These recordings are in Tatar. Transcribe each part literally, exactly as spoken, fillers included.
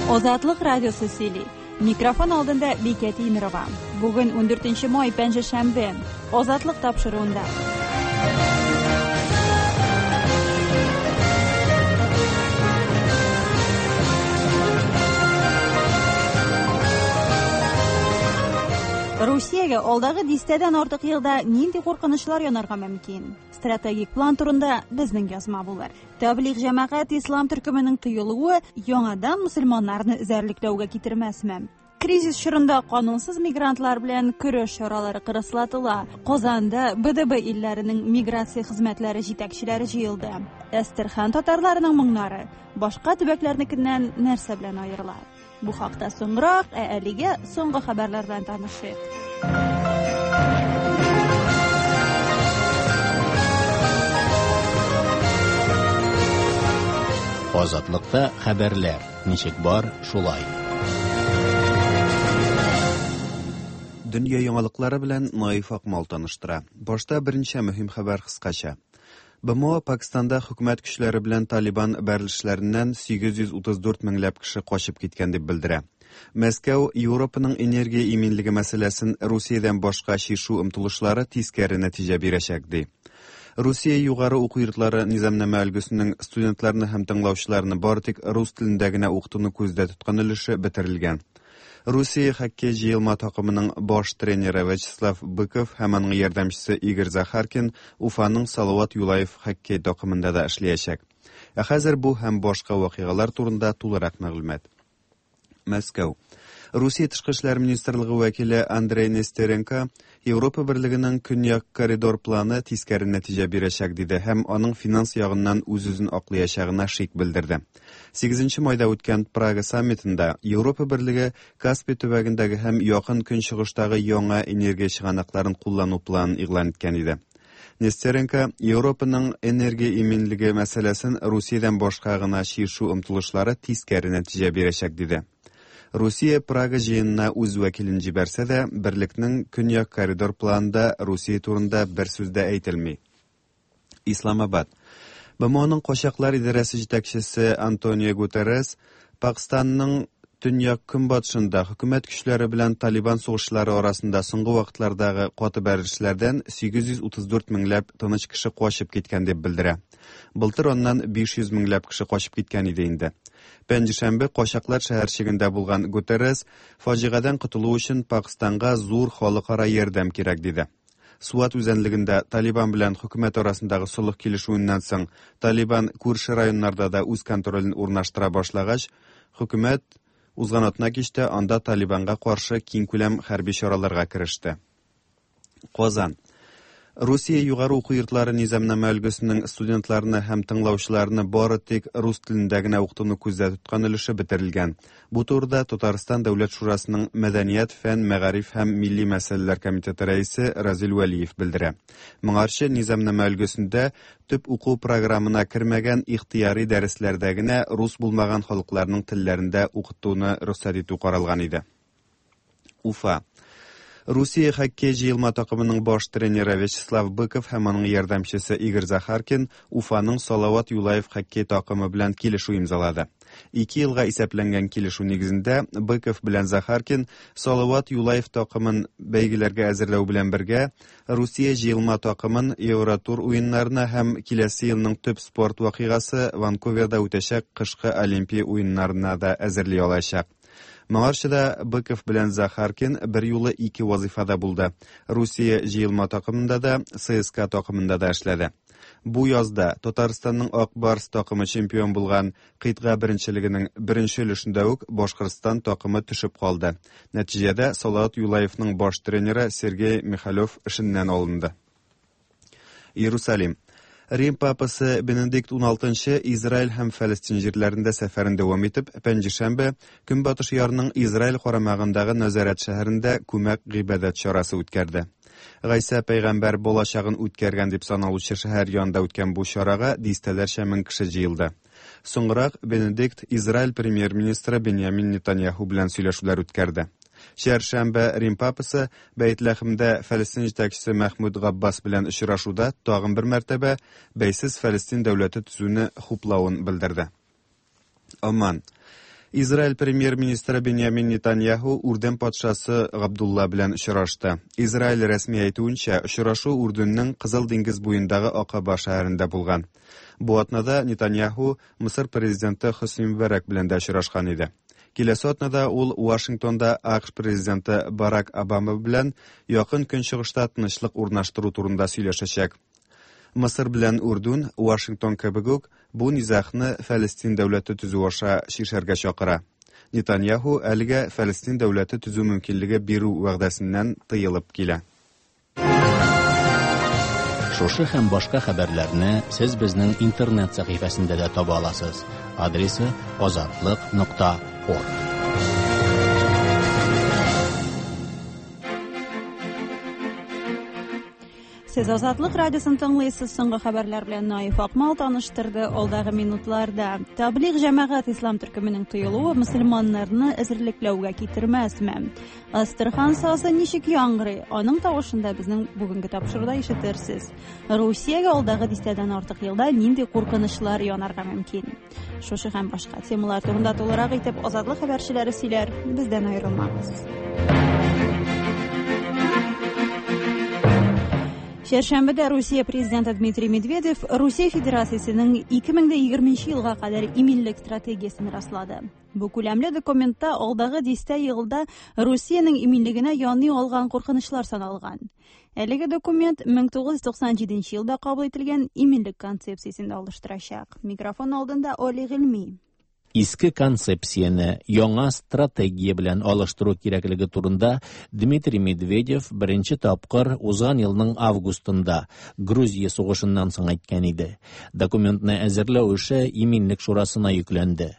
Азатлык радиосы сөйли. Микрофон алдында Бикә Тимирова. Бүген ундүртенче май, пәнҗешәмбе. Азатлык тапшыруында. Русиягә алдагы дистәдән артык елда нинди куркынычлар янарга мөмкин? Стратегик план турында безнең язма булыр. Таблиг җәмәгать ислам төркеменең тыелуы яңадан мөселманнарны эзәрлекләүгә китермәсме? Кризис чорында канунсыз мигрантлар белән көрәш чаралары кырыслатыла. Казанда Б Д Б илләренең миграция хезмәтләре җитәкчеләре җыелды. Әстерхан татарларының моңнары башка төбәкләрнекеннән нәрсә белән аерыла? Бу хакта соңрак, ә әлегә соңгы хәбәрләр белән танышыйк. Азатлыкта хәбәрләр ничек бар, шулай. Дөнья яңалыклары белән Наиф Акмал таныштыра. Башта берничә мөһим хәбәр кыскача. Б М О Пакистанда хөкүмәт көчләре белән Талибан бәрелешләреннән сигез йөз утыз дүрт меңләп кеше качып киткән дип белдерә. Мәскәү Европаның энергия иминлеге мәсьәләсен Русиядән башка чишү омтылышлары тискәре нәтиҗә бирәчәк ди. Русия югары уку йортлары низамнамә өлгесенең студентларны һәм тыңлаучыларны бары тик рус телендә генә укытуны күздә тоткан өлеше бетерелгән. Русия хоккей җыелма такымының баш тренеры Вячеслав Быков һәм аның ярдәмчесе Игорь Захаркин Уфаның Салават Юлаев хоккей такымында да эшләячәк. Ә хәзер бу һәм башка вакыйгалар турында тулырак мәгълүмат. Мәскәү. Русия Тышкы эшләр министрлыгы вәкиле Андрей Нестеренко Европа Берлегенең Көньяк коридор планы тискәре нәтиҗә бирәчәк диде һәм аның финанс ягыннан үз-үзен аклаячагына шик белдерде. сигезенче майда үткән Прага саммитында Европа Берлеге Каспий төбәгендәге һәм Якын Көнчыгыштагы яңа энергия чыганакларын куллану планын игълан иткән иде. Нестеренко Европаның энергия иминлеге мәсьәләсен Русиядән башка гына чишү омтылышлары тискәре нәтиҗә бирәчәк диде. Русия Прага җыенына үз вәкилен җибәрсә дә, берлекнең Көньяк коридор планында Русия турында бер сүз дә әйтелми. Исламабад. Б М Оның качаклар идарәсе җитәкчесе Антонио Гутеррес Пакистанның төньяк көнбатышында хөкүмәт көчләре белән Талибан сугышчылары арасында соңгы вакытлардагы каты бәрелешләрдән сигез йөз утыз дүрт меңләп тыныч кеше качып киткән дип белдерә. Былтыр аннан биш йөз меңләп кеше качып киткән иде инде. Пәнҗешәмбе качаклар шәһәрчегендә булган Гутеррес фаҗигадән котылу өчен Пакистанга зур халыкара ярдәм кирәк диде. Суат үзәнлегендә Талибан белән хөкүмәт арасындагы солых килешүеннән соң Талибан күрше районнарда да үз контролен урнаштыра башлагач, хөкүмәт узган атна кичтә анда Талибанга каршы киңкүләм хәрби чараларга кереште. Казан. Русия югары уку йортлары низамнамә өлгесенең студентларны һәм тыңлаучыларны бары тик рус телендә генә укытуны күздә тоткан өлеше бетерелгән. Бу турыда Татарстан Дәүләт Шурасының Мәдәният, фән, мәгариф һәм милли мәсьәләләр комитеты рәисе Разил Вәлиев белдерә. Моңарчы низамнамә өлгесендә төп уку программына кермәгән ихтыяри дәресләрдә генә рус булмаган халыкларның телләрендә укытуны рөхсәт итү каралган иде. Уфа. Русия хоккей җыелма такымының баш тренеры Вячеслав Быков һәм аның ярдәмчесе Игорь Захаркин Уфаның Салават Юлаев хоккей такымы белән килешү имзалады. Ике елга исәпләнгән килешү нигезендә Быков белән Захаркин Салават Юлаев такымын бәйгеләргә әзерләү белән бергә Русия җыелма такымын Евротур уеннарына һәм киләсе елның төп спорт вакыйгасы Ванкуверда үтәчәк кышкы Олимпия уеннарына да әзерли алачак. Моңарчы да Быков белән Захаркин бер юлы ике вазифада булды. Русия җыелма такымында да, Ц С К А такымында да эшләде. Бу язда Татарстанның Ак Барс такымы чемпион булган кыйтга беренчелегенең беренче өлешендә үк Башкортстан такымы төшеп калды. Нәтиҗәдә Салават Юлаевның баш тренеры Сергей Михалев эшеннән алынды. Иерусалим. Рим папасы Бенедикт уналтынчы Израиль һәм Фәлестин җирләрендә сәфәрен дәвам итеп, пәнҗешәмбе Көнбатыш ярның Израиль карамагындагы Назарет шәһәрендә күмәк гыйбадәт чарасы үткәрде. Гайсә пәйгамбәр балачагын үткәргән дип саналучы шәһәр янында үткән бу чарага дистәләрчә мең кеше җыелды. Соңрак Бенедикт Израиль премьер-министры Беньямин Нетаньяху белән сөйләшүләр үткәрде. Чәршәмбе Рим папасы Бәйтләхемдә Фәлестин җитәкчесе Мәхмүд Габбас белән очрашуда тагын бер мәртәбә бәйсез Фәлестин дәүләте төзүне хуплавын белдерде. Оман. Израиль премьер-министры Беньямин Нетаньяху Үрдүн патшасы Габдулла белән очрашты. Израиль рәсми әйтүенчә, очрашу Үрдүннең Кызыл диңгез буендагы Акаба шәһәрендә булган. Бу атнада Нетаньяху Мысыр президенты Хөсни Мөбарәк белән дә очрашкан иде. Киләсе атнада ул Вашингтонда А К Ш президенты Барак Обама белән Якын Көнчыгышта тынычлык урнаштыру турында сөйләшәчәк. Мысыр белән Үрдүн, Вашингтон кебек үк, бу низагны Фәлестин дәүләте төзү аша чишәргә чакыра. Нетаньяху әлегә Фәлестин дәүләте төзү мөмкинлеге бирү вәгъдәсеннән тыелып килә. Шушы һәм башка хәбәрләрне сез безнең интернет сәхифәсендә дә таба аласыз. Адресы азатлык нокта орг. Сез Азатлык радиосын тыңлыйсыз. Соңгы хәбәрләр белән Наиф Акмал таныштырды. Алдагы минутларда: Таблиг җәмәгать ислам төркеменең тыелуы мөселманнарны эзәрлекләүгә китермәсме? Әстерхан сазы ничек яңгырый? Аның тавышын да безнең бүгенге тапшыруда ишетерсез. Русиягә алдагы дистәдән артык елда нинди куркынычлар янарга мөмкин? Шушы һәм башка темалар турында тулырак итеп Азатлык хәбәрчеләре сөйләр. Бездән аерылмагыз. Чәршәмбедә Русия президенты Дмитрий Медведев Русия Федерациясенең ике мең егерменче елга кадәр иминлек стратегиясен раслады. Бу күләмле документта алдагы дистә елда Русиянең иминлегенә яный алган куркынычлар саналган. Әлеге документ мең тугыз йөз туксан җиденче елда кабул ителгән иминлек концепциясен алыштырачак. Микрофон алдында Оли Гыйльми. Иске концепцияне яңа стратегия белән алыштыру кирәклеге турында Дмитрий Медведев беренче тапкыр узган елның августында, Грузия сугышыннан соң әйткән иде. Документны әзерләү эше Иминлек шурасына йөкләнде.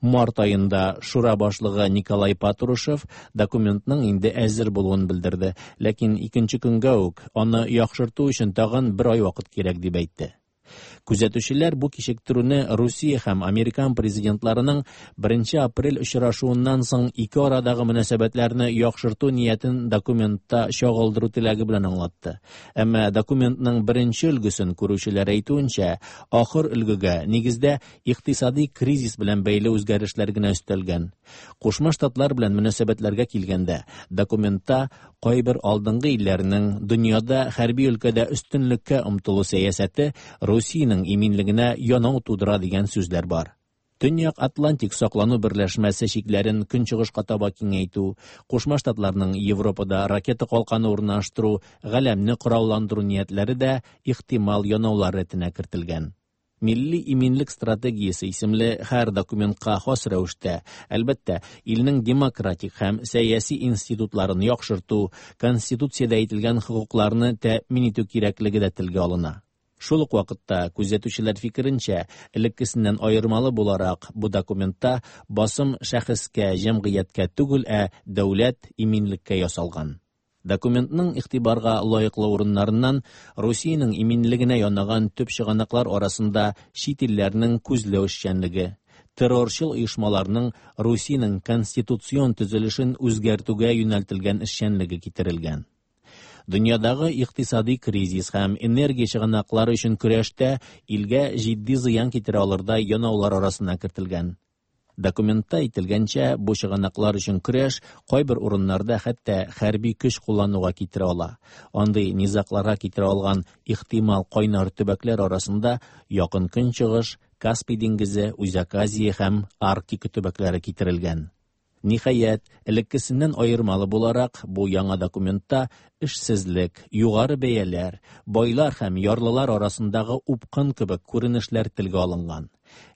Март аенда шура башлыгы Николай Патрушев документның инде әзер булуын белдерде, ләкин икенче көнгә үк аны яхшырту өчен тагын бер ай вакыт кирәк дип әйтте. Күзәтүчеләр бу кичектерүне Русия һәм Американ президентларының беренче апрель очрашуыннан соң ике арадагы мөнәсәбәтләрне яхшырту ниятен документта чагылдыру теләге белән аңлатты. Әмма документның беренче өлгесен күрүчеләр әйтүенчә, ахыр өлгегә нигездә икътисади кризис белән бәйле үзгәрешләр генә өстәлгән. Кушма Штатлар белән мөнәсәбәтләргә килгәндә, документта кайбер алдынгы илләрнең дөньяда хәрби өлкәдә өстенлеккә омтылу сәясәте Русиянең иминлегенә янау тудыра дигән сүзләр бар. Төньяк Атлантик саклану берләшмәсе чикләрен көнчыгышка таба киңәйтү, Кушма Штатларның Европада ракета калканы урнаштыру, галәмне коралландыру ниятләре дә ихтимал янаулар рәтенә кертелгән. Милли иминлек стратегиясе исемле һәр документка хас рәвештә, әлбәттә, илнең демократик һәм сәяси институтларын яхшырту, конституциядә әйтелгән хокукларны тәэмин итү кирәклеге дә телгә алына. Шул ук вакытта, күзәтүчеләр фикеренчә, элеккесеннән аермалы буларак, бу документта басым шәхескә, җәмгыятькә түгел, ә дәүләт иминлеккә ясалган. Документның игътибарга лаеклы урыннарыннан Русиянең иминлегенә янаган төп чыганаклар арасында чит илләрнең күзләү эшчәнлеге, террорчыл оешмаларның Русиянең конституцион төзелешен үзгәртүгә юнәлтелгән эшчәнлеге китерелгән. Дөньядагы икътисади кризис һәм энергия чыганаклары өчен көрәштә илгә җитди зыян китерә алырдай янаулар арасына кертелгән. Документта әйтелгәнчә, бу чыганаклар өчен көрәш кайбер урыннарда хәтта хәрби көч куллануга китерә ала. Андый низагларга китерә алган ихтимал кайнар төбәкләр арасында Якын Көнчыгыш, Каспий диңгезе, Үзәк Азия һәм Арктика төбәкләре китерелгән. Ниһаять, элеккесеннән аермалы буларак, бу яңа документта эшсезлек, югары бәяләр, байлар һәм ярлылар арасындагы упкын кебек күренешләр телгә алынган.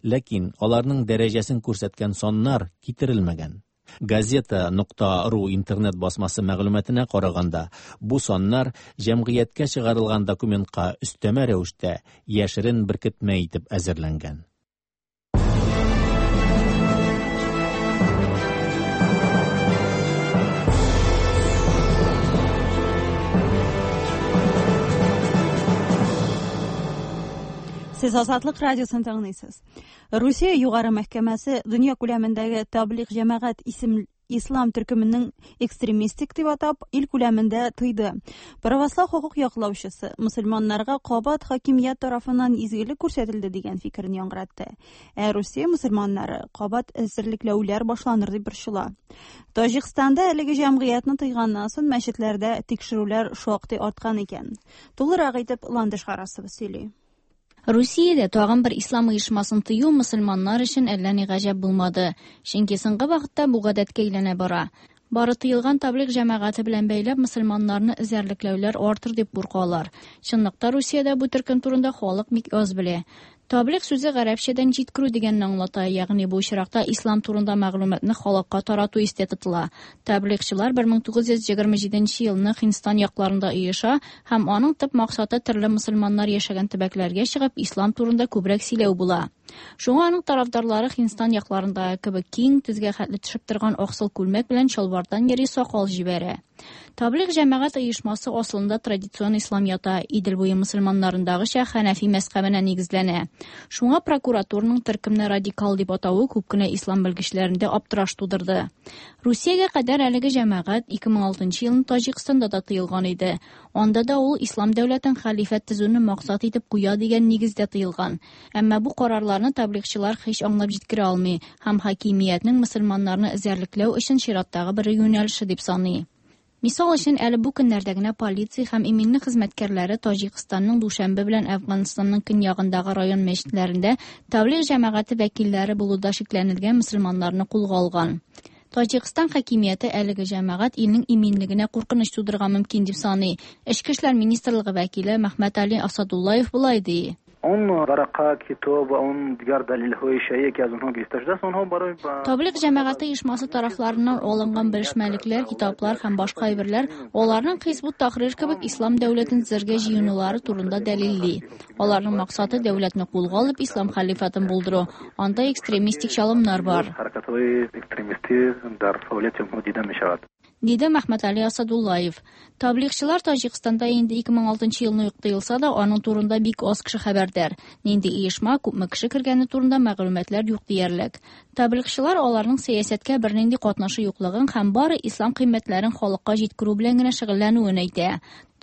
Ләкин аларның дәрәҗәсен күрсәткән саннар китерелмәгән. Газета нокта ру интернет басмасы мәгълүматына караганда, бу саннар җәмгыятькә чыгарылган документка өстәмә рәвештә яшерен беркетмә итеп әзерләнгән. Сез Азатлык радиосын тыңлыйсыз. Русия югары мәхкәмәсе дөнья күләмендәге Таблиг җәмәгать исем ислам төркеменең экстремистик дип атап, ил күләмендә тыйды. Православ хокук яклаучысы мөселманнарга кабат хакимият тарафыннан изгелек күрсәтелде дигән фикерен яңгыратты. Ә Русия мөселманнары кабат эзәрлекләүләр башланыр дип борчыла. Таҗикстанда әлеге җәмгыятьне тыйганнан соң мәчетләрдә тикшерүләр шактый арткан икән. Тулырак итеп Ландыш Харасова сөйли. Русиядә тагын бер ислам оешмасын тыю мөселманнар өчен әллә ни гаҗәп булмады. Чөнки соңгы вакытта бу гадәткә әйләнә бара. Бары тыелган таблиг җәмәгате белән бәйләп мөселманнарны эзәрлекләүләр артыр дип куркалар. Чынлыкта Русиядә бу төркем турында халык бик аз белә. Таблиг сүзе гарәпчәдән җиткерү дигәнне аңлата, ягъни бу очракта ислам турында мәгълүматны халыкка тарату истә тотыла. Таблигчылар бер мең тугыз йөз егерме җиденче елны Һиндстан якларында оеша һәм аның төп максаты төрле мөселманнар яшәгән төбәкләргә чыгып ислам турында күбрәк сөйләү була. Шуңа аның тарафдарлары Һиндстан якларында кебек киң тезгә хәтле төшеп торган аксыл күлмәк белән чалбардан йөри сакал җибәрә. Таблиг җәмәгать оешмасы асылында традицион ислам ята, Идел буе мөселманнарындагыча хәнәфи мәзһәбенә нигезләнә. Шуңа прокуратураның төркемне радикал дип атавы күп кенә ислам белгечләрендә аптыраш тудырды. Русиягә кадәр әлеге җәмәгать ике мең алтынчы елны Таҗикстанда да тыелган иде. Анда да ул ислам дәүләтен хәлифәт төзүне максат итеп куя дигән нигездә тыелган. Әмма бу карарларны таблигчылар һич аңлап җиткерә алмый һәм хакимиятнең мөселманнарны эзәрлекләү өчен чираттагы бер юнәлеше дип саный. Мисал өчен, әле бу көннәрдә генә полиция һәм иминлек хезмәткәрләре Таҗикстанның Душанбе белән Әфганстанның көньягындагы район мәчетләрендә таблиг җәмәгате вәкилләре булуда шикләнелгән мөселманнарны кулга алган. Таҗикстан хакимияте әлеге җәмәгать илнең иминлегенә куркыныч тудырырга мөмкин дип саный. Эчке эшләр министрлыгы вәкиле Мәхмәт Али Асадуллаев болай ди. Он варака, китоб, он дигәр дәлилһои шәйе ки аз онҳо гирифта шудааст, онҳо барои Таблиг җәмәгате оешмасы тарафларыннан алынган белешмәлекләр, китаплар һәм башка әйберләр аларның Хизбут Тахрир кебек ислам дәүләтен төзергә җыенулары турында дәлилли. Аларның максаты дәүләтне кулга алып ислам хәлифатын булдыру. Анда экстремистик чалымнар бар. Хәрәкәтләре экстремисти дар фаулияти онҳо дида мешавад. Диде Мәхмәт Али Асадуллаев. Таблигчылар Таҗикстанда инде ике мең алтынчы елны ук тыелса да, аның турында бик аз кеше хәбәрдар. Нинди оешма, күпме кеше кергәне турында мәгълүматлар юк диярлек. Таблигчылар аларның сәясәткә бернинди катнашы юклыгын һәм бары ислам кыйммәтләрен халыкка җиткерү белән генә шөгыльләнүен әйтә.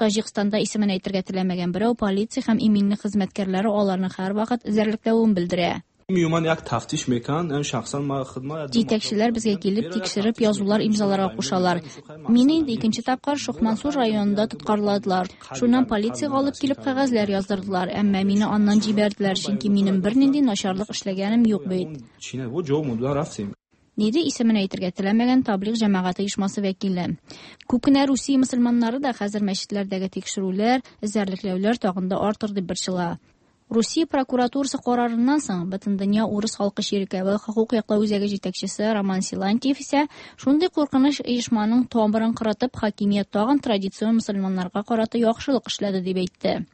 Таҗикстанда исемен әйтергә теләмәгән берәү полиция һәм иминлек хезмәткәрләре аларны һәрвакыт эзәрлекләвен белдерә. Миюман як тафтиш мекан, әм шахсан ма хидма. Җитәкчеләр безгә килеп тикшереп язулар имзаларга кушалар. Мине инде икенче тапкыр Шохмансур районында тоткарладылар. Шуннан полициягә алып килеп кәгазьләр яздырдылар, әмма мине аннан җибәрделәр, чөнки минем бернинди начарлык эшләгәнем юк бит. Чине, бу җавап мудла рафсим. Диде исемен әйтергә теләмәгән таблиг җәмәгате оешмасы вәкиле. Күп кенә Русия мөселманнары да хәзер мәчетләрдәге тикшерүләр, эзәрлекләүләр тагын да артыр дип борчыла. Русия прокуратурасы карарыннан соң Бөтендөнья урыс халкы чиркәве хокук яклау үзәге җитәкчесе Роман Силантьев исә шундый куркыныч оешманың тамырын кырытып, хакимият тагын традицион мөселманнарга карата яхшылык эшләде дип әйтте.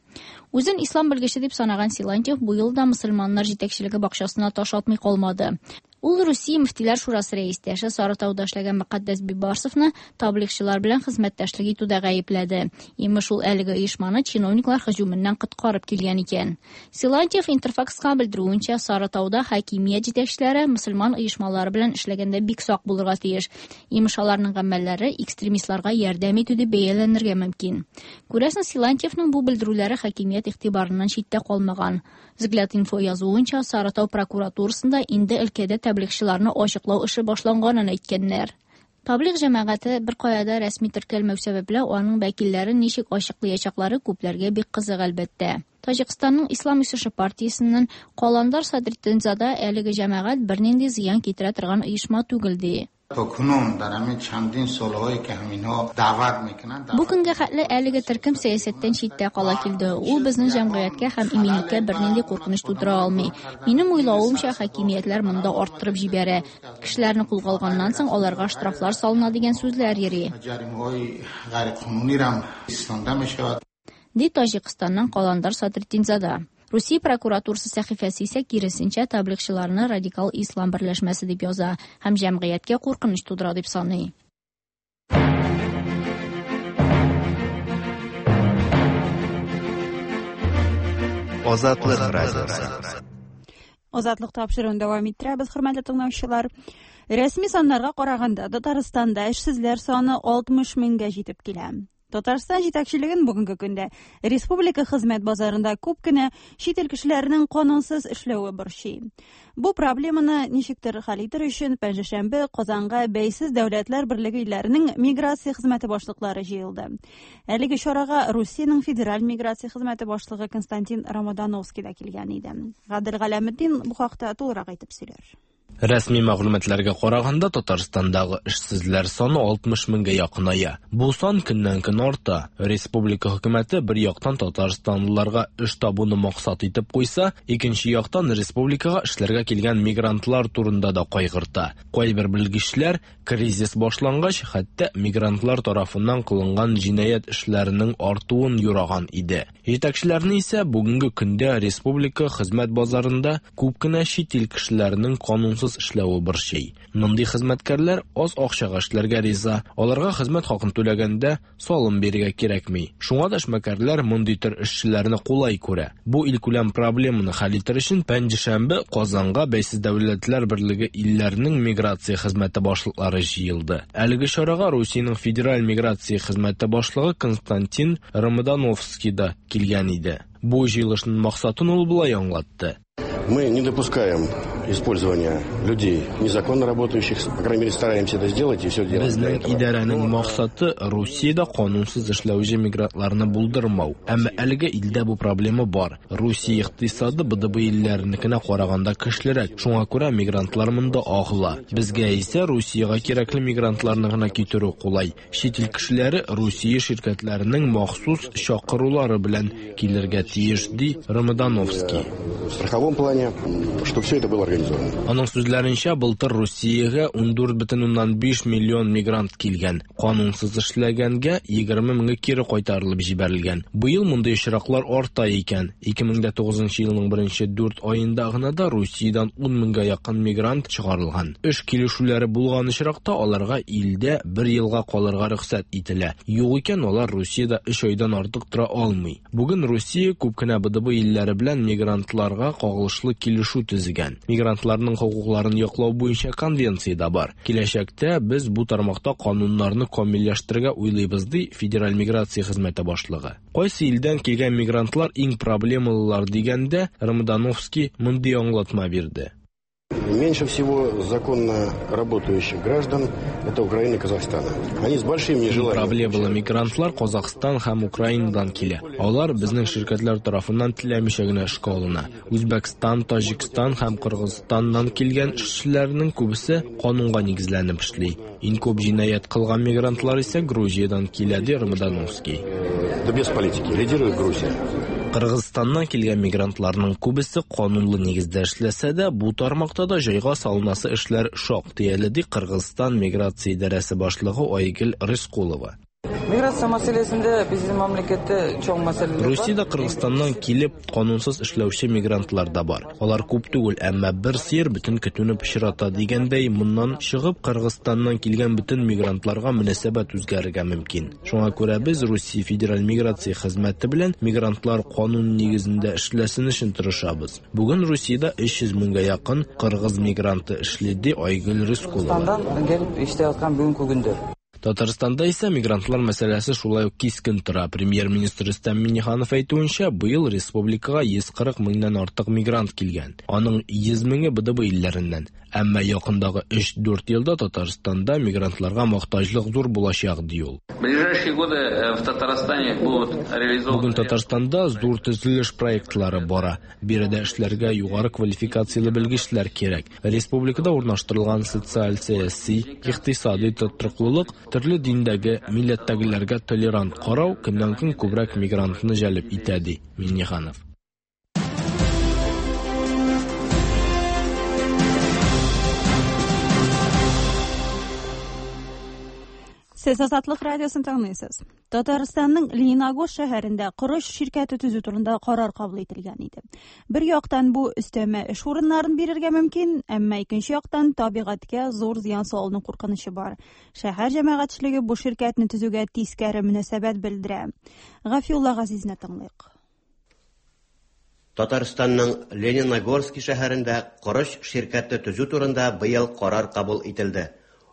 Үзен ислам белгече дип санаган Силантьев бу елда мөселманнар җитәкчелеге бакчасына таш атмый калмады. Ул Русия мөфтиләр шурасы рәистәше Сарытауда эшләгән Мөкаддәс Бибарсовны таблигчылар белән хезмәттәшлек итүдә гаепләде. Имеш, ул әлеге оешманы чиновниклар һөҗүменнән коткарып килгән икән. Силантьев Интерфакска белдерүенчә, Сарытауда хакимият җитәкчеләре мөселман оешмалары белән эшләгәндә бик сак булырга тиеш. Имеш, аларның гамәлләре экстремистларга ярдәм итү дип бәяләнергә мөмкин. Күрәсең, Силантьевның бу белдерүләре хакимият игътибарыннан читтә калмаган. Взгляд инфо язуынча, Сарытау прокуратурасында инде өлкәдә таблигчыларны ачыклау эше башланганын әйткәннәр. Таблиг җәмәгате бер кая да рәсми теркәлмәү сәбәпле, аның вәкилләрен ничек ачыклаячаклары күпләргә бик кызык әлбәттә. Таҗикстанның Ислам үсеше партиясеннән Каландар Садретдинзада әлеге җәмәгать бернинди зыян китерә торган оешма түгел ди. То кунун дар ҳамин чандин солҳое ки ҳаминҳо даъват мекунанд, Бу көнгә хәтле әлеге төркем сәясәттән читтә кала килде. Ул безнең җәмгыятькә һәм иминлеккә бернинди куркыныч тудыра алмый. Минем уйлавымча, хакимиятләр монда арттырып җибәрә. Кешеләрне кулга алганнан соң аларга штрафлар салына дигән сүзләр йөри. Җаримаҳои ғайриқонунӣ ҳам истифода мешавад. Ди Таҗикстанның Каландар Садретдинзада. Русия прокуратурасы сәхифәсе исә киресенчә таблигчыларны радикал ислам берләшмәсе дип яза һәм җәмгыятькә куркыныч тудыра дип саный. Азатлык радиосы. Азатлык тапшыруын дәвам иттерәбез, хөрмәтле тыңлаучылар. Рәсми саннарга караганда, Татарстанда эшсезләр саны алтмыш меңгә җитеп килә. Татарстан җитәкчелеген бүгенге көндә республика хезмәт базарында күп кенә чит ил кешеләренең канунсыз эшләве борчый. Бу проблеманы ничектер хәл итер өчен пәнҗешәмбе Казанга Бәйсез Дәүләтләр Берлеге илләренең миграция хезмәте башлыклары җыелды. Әлеге чарага Русиянең федераль миграция хезмәте башлыгы Константин Ромодановский да килгән иде. Гадел Галәметдин бу хакта тулырак әйтеп сөйләр. Рәсми мәгълүматларга караганда, Татарстандагы эшсезләр саны алтмыш меңгә якыная. Бу сан көннән-көн арта. Республика хөкүмәте бер яктан татарстанлыларга эш табуны максат итеп куйса, икенче яктан республикага эшләргә килгән мигрантлар турында да кайгырта. Кайбер белгечләр кризис башлангач, хәтта мигрантлар тарафыннан кылынган җинаять эшләренең артуын юраган иде. Җитәкчеләрне исә бүгенге көндә республика хезмәт базарында күп кенә чит ил кешеләренең канунсыз эшләве борчый. Мондый хезмәткәрләр аз акчага эшләргә риза. Аларга хезмәт хакын түләгәндә салым бирергә кирәкми. Шуңа да эшмәкәрләр мондый төр эшчеләрне кулай күрә. Бу илкүләм проблеманы хәл итер өчен пәнҗешәмбе Казанга Бәйсез Дәүләтләр Берлеге илләренең миграция хезмәте башлыклары җыелды. Әлеге чарага Русиянең федераль миграция хезмәте башлыгы Константин Ромодановский да килгән иде. Бу җыелышның максатын ул болай аңлатты. Мы не допускаем использования людей, незаконно работающих, по крайней мере, стараемся это сделать и все делаем для Безнең этого. идарәнең максаты Русиядә канунсыз эшләүче мигрантларны булдырмау. Әмма әлегә илдә бу проблема бар. Русия икътисады Б Д Б илләренекенә караганда көчлерәк. Шуңа күрә мигрантлар монда агыла. Безгә исә Русиягә кирәкле мигрантларны гына китерү кулай. Чит ил кешеләре Русия ширкәтләренең махсус чакырулары белән килергә тиеш, ди Ромодановский. В страховом плане, чтобы все это было организовано. Аның сүзләренчә, былтыр Русиягә ундүрт бөтен уннан биш миллион мигрант килгән. Канунсыз эшләгәнгә егерме меңе кире кайтарылып җибәрелгән. Быел мондый очраклар арта икән. Ике мең дә тугызынчы елның беренче дүрт аенда гына да Русиядән ун меңгә якын мигрант чыгарылган. Эш килешүләре булган очракта аларга илдә бер елга калырга рөхсәт ителә. Юк икән, алар Русиядә өч айдан артык тора алмый. Бүген Русия күп кенә Б Д Б илләре белән мигрантларга кагылышлы килешү төзегән. Мигрантларның хокукларын яклау буенча конвенция дә бар. Киләчәктә без бу тармакта кануннарны камилләштерергә уйлыйбыз, ди Федераль миграция хезмәте башлыгы. Кайсы илдән килгән мигрантлар иң проблемалылар дигәндә, Ромодановский мондый аңлатма бирде. Меньше всего законно работающих граждан это Украина и Казахстан. Они с большим нежеланием. Проблемалы мигрантлар Казахстан һәм Украинадан килә. Алар безнең ширкәтләр тарафыннан теләмичә генә эшкә алына. Үзбәкстан, Таҗикстан һәм Кыргызстаннан килгән эшчеләрнең күбесе канунга нигезләнеп эшли. Иң күп җинаять кылган мигрантлар исә Грузиядән килә, ди Ромодановский. Да без политики. Лидирует Грузия. Кыргызстаннан килгән мигрантларның күбесе канунлы нигездә эшләсә дә, бу тармакта да җайга салынасы эшләр шактый әле, ди Кыргызстан миграция идарәсе башлыгы Айгөл Рыскулова. Миграция мәсьәләсендә безнең мәмләкәттә чоң мәсьәләләр бар. Русиядә Кыргызстаннан килеп канунсыз эшләүче мигрантлар да бар. Алар күп түгел, әмма бер сыер бөтен көтүне пычрата дигәндәй, моннан чыгып Кыргызстаннан килгән бөтен мигрантларга мөнәсәбәт үзгәрергә мөмкин. Шуңа күрә без Русия федераль миграция хезмәте белән мигрантлар канун нигезендә эшләсен өчен тырышабыз. Бүген Русиядә өч йөз меңгә якын кыргыз мигранты эшли, ди Айгөл Рыскулова. Кыргызстаннан килеп эшләп аткан бүгенге көндә. Татарстанда исә мигрантлар мәсьәләсе шулай ук кискен тора. Премьер-министр Рөстәм Миңнеханов әйтүенчә, быел республикага йөз кырык меңнән артык мигрант килгән. Аның йөз меңе Б Д Б илләреннән. Әмма якындагы өч-дүрт елда Татарстанда мигрантларга мохтаҗлык зур булачак, ди ул. В ближайшие годы, э, в Татарстане будут реализованы Бүген Татарстанда зур төзелеш проектлары бара. Биредә эшләргә югары квалификацияле белгечләр кирәк. Республикада урнаштырылган социаль, сәяси, икътисади тотрыклылык, төрле диндәге, милләттәгеләргә толерант карау көннән-көн күбрәк мигрантны җәлеп итә, ди Миңнеханов. Сез Азатлык радиосын тыңлыйсыз. Татарстанның Лениногорск шәһәрендә корыч ширкәте төзү турында карар кабул ителгән иде. Бер яктан бу өстәмә эш урыннарын бирергә мөмкин, әмма икенче яктан табигатькә зур зыян салыну куркынычы бар. Шәһәр җәмәгатьчелеге бу ширкәтне төзүгә тискәре мөнәсәбәт белдерә. Гафиулла Газизне тыңлыйк. Татарстанның Лениногорский шәһәрендә корыч ширкәте төзү турында быел карар кабул ителде.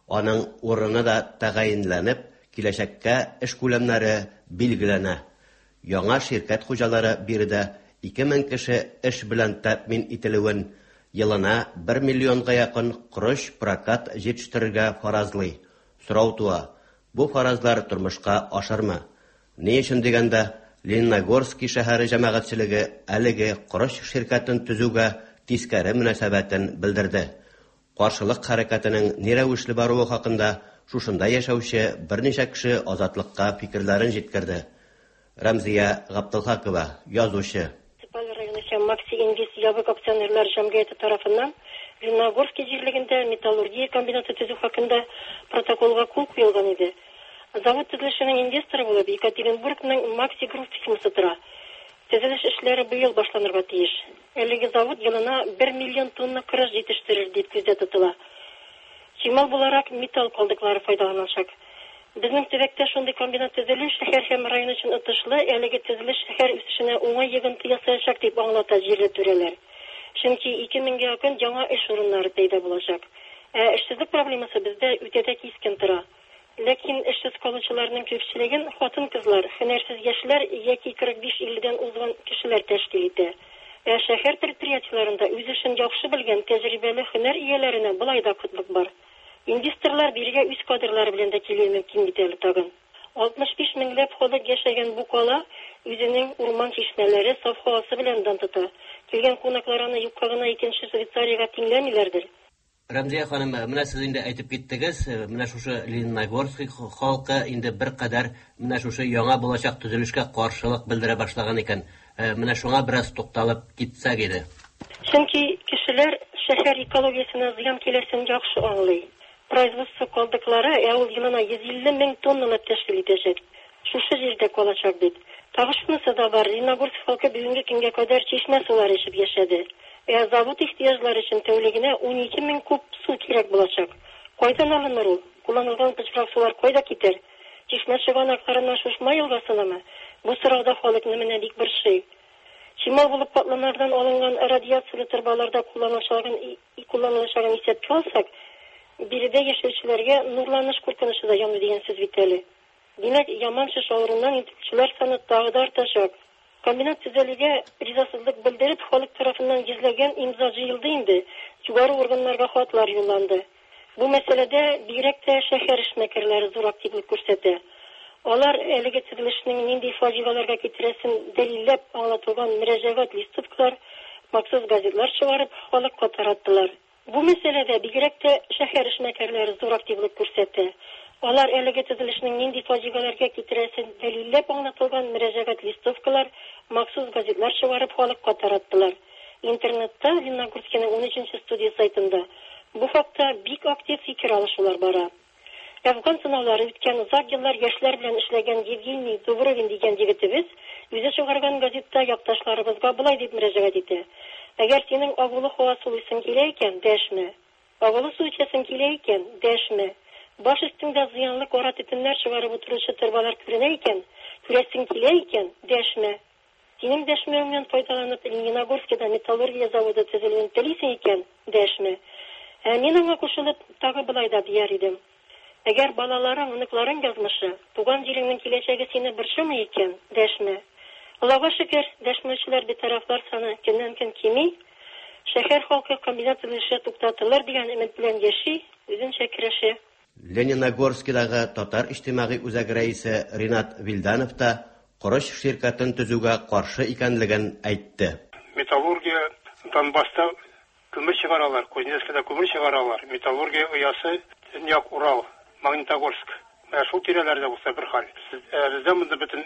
Аның урыны да тәгаенләнеп, киләчәккә эш күләмнәре билгеләнә. Яңа ширкәт хуҗалары биредә ике мең кеше эш белән тәэмин ителүен, елына бер миллионга якын корыч прокат җитештерергә фаразлый. Сорау туа: бу фаразлар тормышка ашырмы? Ни өчен дигәндә, Лениногорский шәһәре җәмәгатьчелеге әлеге корыч ширкәтен төзүгә тискәре мөнәсәбәтен белдерде. Каршылык хәрәкәтенең ни рәвешле баруы хакында шушында яшәүче берничә кеше Азатлыкка фикерләрен җиткерде. Рәмзия Габдулхакова, язучы. Муниципаль районы һәм Макси Инвест ябык акционерлар җәмгыяте тарафыннан Лениногорский җирлегендә металлургия комбинаты төзү хакында протоколга кул куелган иде. Завод төзелешенең инвесторы булып Екатеринбургның Макси Групп фирмасы тора. Төзелеш эшләре быел башланырга тиеш. Әлеге завод елына бер миллион тонна корыч җитештерер дип күздә тотыла. Чимал буларак металл калдыклары файдаланачак. Безнең төбәктә шундый комбинат төзелү шәһәр һәм район өчен отышлы, әлеге төзелеш шәһәр үсешенә уңай йогынты ясаячак дип аңлата җирле түрәләр. Чөнки ике меңгә якын яңа эш урыннары пәйда булачак. Ә эшсезлек проблемасы бездә үтә дә кискен тора. Ләкин эшсез калучыларның күпчелеген хатын-кызлар, һөнәрсез яшьләр яки кырык биш илледән узган кешеләр тәшкил итә. Ә шәһәр предприятиеләрендә үз эшен яхшы белгән тәҗрибәле һөнәр ияләренә болай да кытлык бар. Инвесторлар бирегә үз кадрлары белән дә килүе мөмкин бит әле тагын. алтмыш биш меңләп халык яшәгән бу кала үзенең урман чишмәләре, саф һавасы белән дан тота. Килгән кунаклар аны юкка гына икенче Швейцариягә тиңләмиләрдер. Рәмзия ханым, менә сез инде әйтеп киттегез, менә шушы Лениногорский халкы инде бер кадәр менә шушы яңа булачак төзелешкә каршылык белдерә башлаган икән. Менә шуңа бераз тукталып китсәк иде. Чөнки кешеләр шәһәр экологиясенә зыян киләсен яхшы аңлый. Производство калдыклары ә ул елына йөз илле мең тонналап тәшкил итәчәк. Шушы җирдә калачак бит. Тагы шунысы да бар, Лениногорск халкы бүгенге көнгә кадәр чишмә сулары эчеп яшәде. Ә завод ихтыяҗлары өчен тәүлегенә ун ике мең куб су кирәк булачак. Кайдан алыныр ул? Кулланылган пычрак сулар кайда китәр? Чишмә чыганакларыннан Шушма елгасынамы? Бу сорауда халыкны менә бик борчый. Чимал булып катламнардан алынган радиацияле торбаларда кулланылачагын кулланылачагын исәпкә алсак, биредә яшәүчеләргә нурланыш куркынычы да яный дигән сүз бит әле. Димәк, яман шеш авыруыннан интегүчеләр саны тагы да артачак. Комбинат төзелүгә ризасызлык белдереп, халык тарафыннан йөзләгән имза җыелды инде, югары органнарга хатлар юлланды. Бу мәсьәләдә бигрәк тә шәһәр эшмәкәрләре зур активлык күрсәтә. Алар әлеге төзелешнең нинди фаҗигаларга китерәсен дәлилләп аңлатылган мөрәҗәгать листовкалар, махсус газетлар чыгарып, халыкка тараттылар. Бу мәсьәләдә бигрәк тә шәһәр эшмәкәрләре зур активлык күрсәтә. Алар әлеге төзелешнең нинди фаҗигаларга китерәсен дәлилләп аңлатылган мөрәҗәгать листовкалар, махсус газетлар чыгарып халыкка тараттылар. Интернетта Лениногорскийның ун өченче студия сайтында бу хакта бик актив фикер алышулар бара. Әфган сынаулары үткән озак еллар яшьләр белән эшләгән Евгений Дубровин дигән егетебез үзе чыгарган газетта якташларыбызга болай дип мөрәҗәгать итә: Әгәр синең агулы һава сулыйсың килә икән, дәшмә. Агулы су эчәсең килә икән, дәшмә. Баш өстеңдә зыянлы кара төтеннәр чыгарып утыручы торбалар күренә икән, күрәсең килә икән, дәшмә. Синең дәшмәвеңнән файдаланып Лениногорскида металлургия заводы төзелүен телисең икән, дәшмә. Ә мин аңа кушылып тагы болай да дияр идем: Әгәр балаларың, оныкларың язмышы, туган җиреңнең киләчәге сине борчымый икән, дәшмә. Аллага шөкер, дәшмәүчеләр, битарафлар саны көннән-көн кими. Шәһәр халкы комбинат төзелеше туктатылыр дигән өмет белән яши, үзенчә көрәшә. Лениногорскидагы Татар иҗтимагый үзәге рәисе Ринат Вилданов та корыч ширкәтен төзүгә каршы икәнлеген әйтте. Металлургия Донбасста көмер чыгаралар, Кузнецкида көмер чыгаралар. Металлургия оясы Төньяк Урал, Магнитогорск. Менә шул тирәләрдә булса бер хәл. Бездә монда бөтен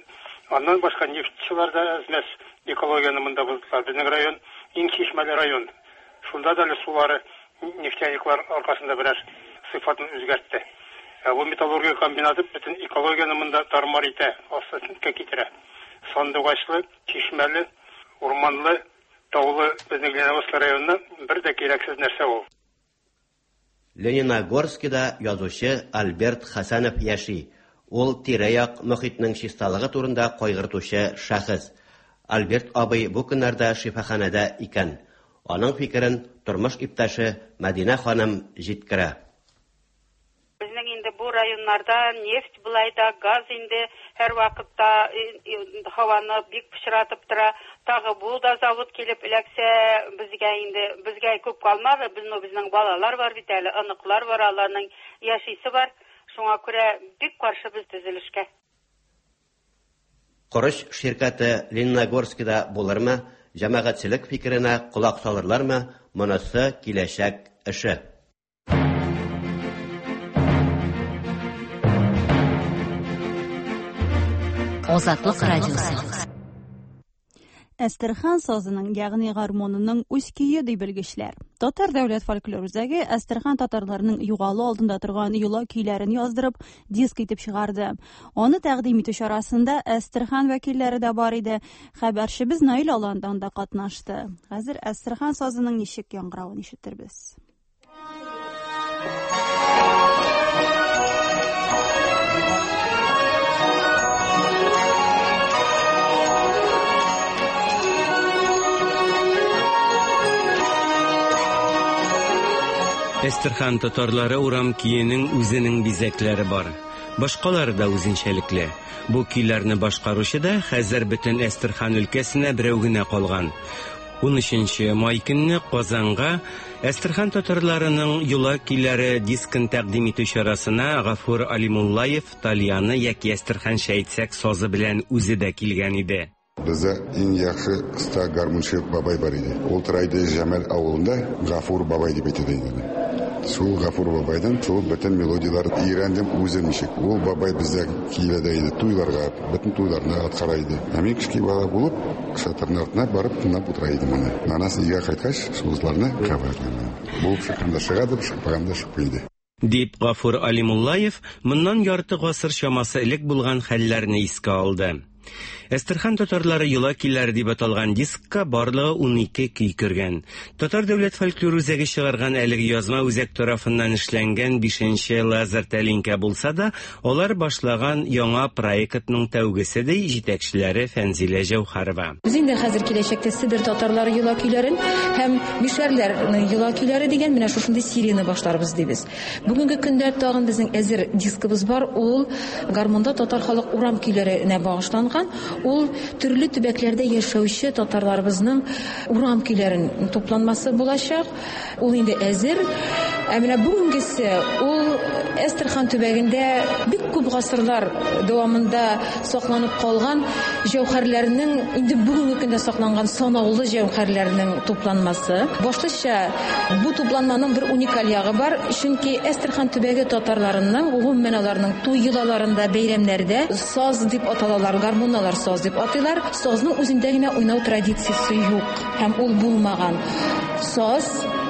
аннан башка нефтьчеләр дә әзмәс экологияне монда боздылар. Безнең район иң чишмәле район. Шунда да әле сулары нефтяниклар аркасында берәр сыйфатын үзгәртте. Ә бу металлургия комбинаты бөтен экологияне монда тармар итә, астына китерә. Сандугачлы, чишмәле, урманлы, таулы безнең Лениногорск районына бер дә кирәксез нәрсә ул. Лениногорскида язучы Альберт Хәсәнов яши. Ул тирә-як мөхитнең чисталыгы турында кайгыртучы шәхес. Альберт абый бу көннәрдә шифаханәдә икән. Аның фикерен тормыш иптәше Мәдинә ханым җиткерә. Безнең инде бу районнарда нефть былай да, газ инде һәр вакытта һаваны бик пычратып тора. Тагы бу да завод килеп эләксә, безгә инде безгә күп калмады. Безнең безнең балалар бар бит әле, оныклар бар, аларның яшисе бар. Шуңа күрә бик каршы без төзелешкә. Корыч ширкәте Лениногорскида булырмы? Җәмәгатьчелек фикеренә колак салырлармы? Монысы киләчәк эше. Азатлык радиосы. Әстерхан сазының, ягъни гармонының үз көе ди белгечләр. Татар дәүләт фольклор үзәге Әстерхан татарларының югалу алдында торган йола көйләрен яздырып, диск итеп чыгарды. Аны тәкъдим итү чарасында Әстерхан вәкилләре дә бар иде. Хәбәрчебез Наил Алан да анда катнашты. Хәзер Әстерхан сазының ничек яңгыравын ишетербез. Әстерхан татарлары урам көенең үзенең бизәкләре бар. Башкалары да үзенчәлекле. Бу көйләрне башкаручы да хәзер бөтен Әстерхан өлкәсенә берәү генә калган. Унөченче май көнне Казанга Әстерхан татарларының йола көйләре дискын тәкъдим итү чарасына Гафур Алимуллаев тальяны яки әстерханча әйтсәк сазы белән үзе дә килгән иде. Бездә иң яхшы оста гармунчы бабай бар иде. Ул тора иде Җәмәл авылында, Гафур бабай дип әйтә иде. Шул Гафур бабайдан шул бөтен мелодияләрне өйрәндем үзем ничек. Ул бабай бездә килә дә иде туйларга, бөтен туйларны аткара иде. Ә мин кечкенә бала булып, шатырның артына барып тыңлап утыра идем аны. Анасы өйгә кайткач, шул кабатлана. Булып чыкканда чыга, чыкмаганда чыкмый иде. Дип Гафур Алимуллаев моннан ярты гасыр чамасы элек булган хәлләрне искә алды. Әстерхан татарлары йола көйләре дип аталган дискка барлыгы унике көй кергән. Татар дәүләт фольклор үзәге чыгарган әлеге язма үзәк тарафыннан эшләнгән бишенче лазер тәлинкә булса да, алар башлаган яңа проектның тәүгесе ди җитәкчеләре Фәнзилә Җәүһәрова. Без инде хәзер киләчәктә Себер татарлары йола көйләрен һәм мишәрләрнең йола көйләре дигән менә шушындый серияне башларбыз дибез. Бүгенге көндә тагын безнең әзер дискыбыз бар, ул гармунда татар халык урам көйләренә багышланган. Ул төрле төбәкләрдә яшәүче татарларыбызның урам көйләрен тупланмасы булачак. Ул инде әзер. Ә менә бүгенгесе ул Әстерхан төбәгендә бик күп гасырлар дәвамында сакланып калган җәүһәрләрнең, инде бүгенге көндә сакланган санаулы җәүһәрләрнең тупланмасы. Башлыча бу тупланманың бер уникаль ягы бар, чөнки Әстерхан төбәге татарларының, гомумән аларның туй йолаларында, бәйрәмнәрдә саз дип аталалар, гармоналар саз дип атыйлар. Сазның үзендә генә уйнау традициясе юк һәм ул булмаган. Саз,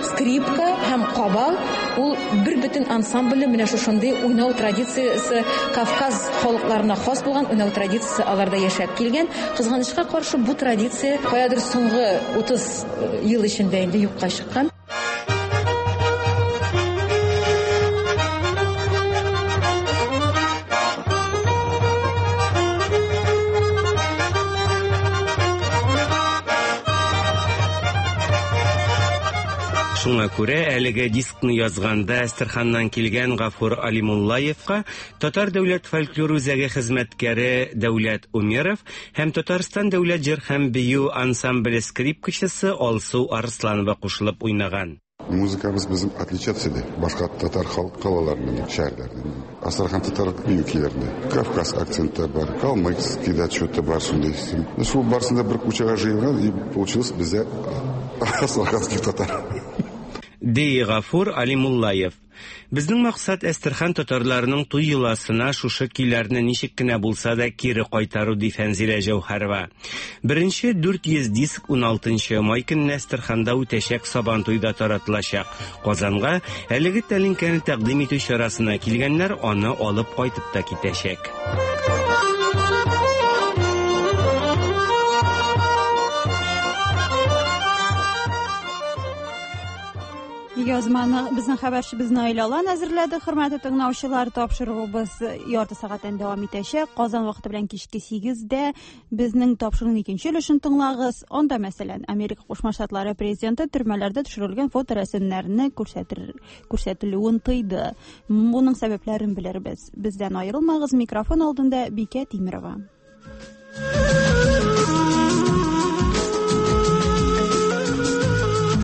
скрипка һәм кабал ул бер бөтен ансамбле менә шушындый уйнау традициясе Кавказ халыкларына хас булган уйнау традициясе аларда яшәп килгән. Кызганычка каршы бу традиция каядыр соңгы утыз ел эчендә инде юкка чыккан. Шуңа күрә әлеге дискны язганда Әстерханнан килгән Гафур Алимуллаевка Татар дәүләт фольклор үзәге хезмәткәре Дәүләт Умеров һәм Татарстан дәүләт җыр һәм бию ансамбле скрипкачысы Алсу Арсланова кушылып уйнаган. Музыкабыз безнең отличаться иде башка татар халык калаларыннан, шәһәрләреннән. Астрахань татар бию көйләрендә Кавказ акценты бар, калмыцкий да что-то бар шундый. Шул барсын да бер кучага җыелган и получилось бездә астраханский татар. Ди Гафур Алимуллаев. Безнең максат Әстерхан татарларының туй йоласына шушы көйләрне ничек кенә булса да кире кайтару, ди Фәнзилә Җәүһәрова. Беренче дүрт йөз диск уналтынчы май көнне Әстерханда үтәчәк Сабантуйда таратылачак. Казанга әлеге тәлинкәне тәкъдим итү чарасына килгәннәр аны алып кайтып та китәчәк. Язманы безнең хәбәрчебез Наил Алан әзерләде. Хөрмәтле тыңлаучылар, тапшыруыбыз ярты сәгатьтән дәвам итәчәк. Казан вакыты белән кичке сигездә безнең тапшыруның икенче өлешен тыңлагыз. Анда, мәсәлән, Америка Кушма Штатлары президенты төрмәләрдә төшерелгән фоторәсемнәрне күрсәтер, күрсәтелүен тыйды. Моның сәбәпләрен белербез. Бездән аерылмагыз. Микрофон алдында Бикә Тимирова.